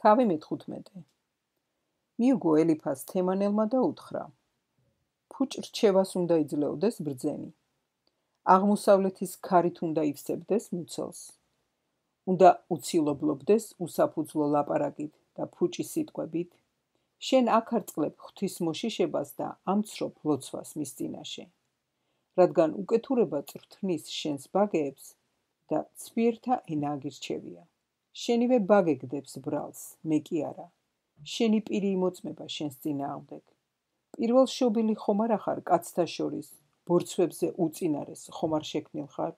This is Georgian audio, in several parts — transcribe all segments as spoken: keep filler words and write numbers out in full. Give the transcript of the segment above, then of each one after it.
თავი მეთხუთმეტე. მიუგო ელიფას თემანელმა და უთხრა: ფუჭ რჩევას უნდა იძლეოდეს ბრძენი. აღმოსავლეთის ქარით უნდა ივსებდეს მუცელს. უნდა უცილობლობდეს უსაფუძვლო ლაპარაკით და ფუჭის სიტყვებით. შენ აქ არ წყლებ ღვთის მოშიშებას და ამცრობ ლოცვას მის წინაშე. რადგან უკეთურება წვრთნის შენს ბაგეებს და ცვიერთა ენა აგირჩევია. შენივე ბაგე გდებს ბრალს, მე კი არა. შენი პირი იმოწმება შენს წინააღმდეგ. პირველ შობილი ხომ არ ახარ კაცთა შორის, ბორცვებზე უწინარეს ხომ არ შექმნილ ხარ?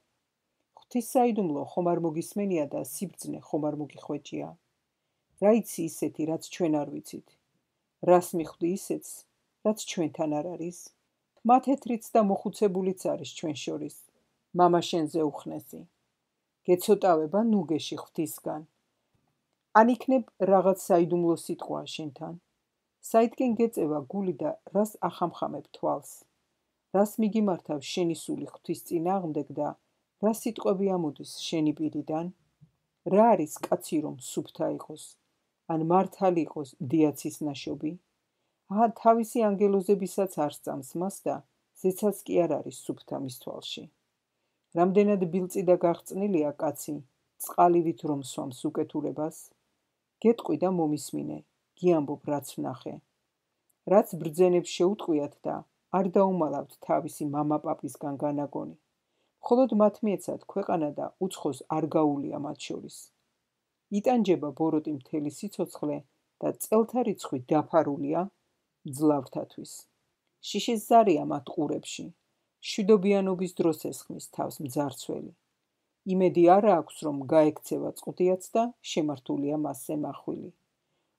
ღვთის საიდუმლო ხომ არ მოგისმენია და სიბრძნე ხომ არ მოგიხვეჭია? რა იცი ისეთი, რაც ჩვენ არ ვიცით? რას მიხვდი ისეთს, რაც ჩვენთან არ არის? მათეთრიც და მოხუცებულიც არის ჩვენ შორის, მამა შენზე უხნესი. გეცოტავება ნუგეში ღვთისგან. ან იქნებ რაღაც საიდუმლო სიტყვაა შენთან. საიდკენ გეწევა გული და რას ახამხამებ თვალს? რას მიგიმართავ შენი სული ღვთის წინააღმდეგ და რა სიტყვები ამოდის შენი პირიდან? რა არის კაცი რომ სუფთა იყოს? ან მართალი იყოს დიაცის ნაშობი? აჰა თავისი ანგელოზებისაც არ სწამს მას და ზეცაც კი არ არის სუფთა მის თვალში. რამდენად ბილწი და გაღწნილია კაცი, წყალივით რომ სვამს უკეთურებას? გეტყვი და მომისმინე, გიამბობ რაც ვნახე. რაც ბრძენებს შეუტყვიათ და არ დაუმალავთ თავისი მამა-პაპისგან განაგონი. მხოლოდ მათ მიეცათ ქვეყანა და უცხოს არ გაუვლია მათ შორის. იტანჯება ბოროტი მთელი სიცოცხლე და წელთა რიცხვი დაფარულია მძლავრთათვის. შიშის ზარია მათ ყურებში. მშვიდობიანობის დროს ესხმის თავს მძარცველი. იმედი არა აქვს რომ გაექცევა წყდიაც და შემართულია მასზე მახვილი.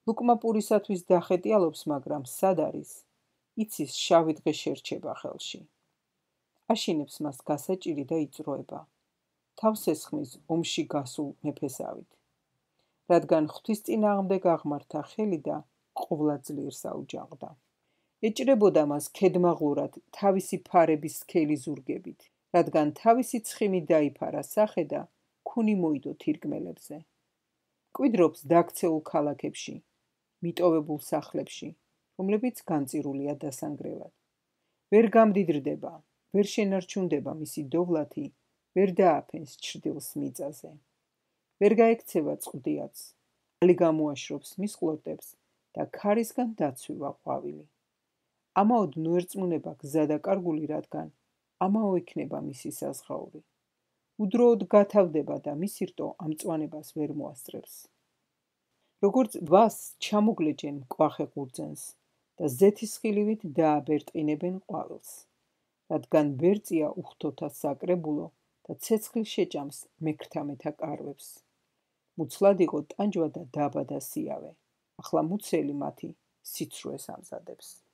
ლუკმა პურისათვის დახეტიალობს, მაგრამ სად არის? იცის შავი დღე შერჩება ხელში. აშინებს მას გასაჭირი და იწროება. თავს ესხმის ომში გასულ მეფესავით. რადგან ღვთის წინააღმდეგ აღმართა ხელი და ყოვლა ძლიერს აუჯანყდა. ეჭრებოდა მას ქედმაღლურად თავისი ფარების სქელი ზურგებით, რადგან თავისი ცხიმი დაიფარა სახე და ქუნი მოიდო თირკმელებზე. კვიდრობს დაქცეულ ქალაქებში, მიტოვებულ სახლებში, რომლებიც განწირულია დასანგრელად. ვერ გამდიდრდება, ვერ შენარჩუნდება მისი დოვლათი, ვერ დააფენს ჩრდილს მიწაზე. ვერ გაექცევა წყდიაც, ალი გამოაშრობს მის ყლორტებს და ქარისგან დაცვივა ყვავილი. ამაოდ ნუერწმუნება გზა და კარგული, რადგან ამაო იქნება მისი საზღაური. უდროოდ გათავდება და მისი რტო ამ წვანებას ვერ მოასწრებს. როგორც ვას ჩამოგლეჯენ მკვახე ყურძენს და ზეთისხილივით დააბერტყინებენ ყვავილს, რადგან ბერწია უხთოთა საკრებულო და ცეცხლი შეჭამს მექრთამეთა კარვებს. მუცლად იყო ტანჯვა და დაბადა სიავე, ახლა მუცელი მათი სიცრუეს ამზადებს.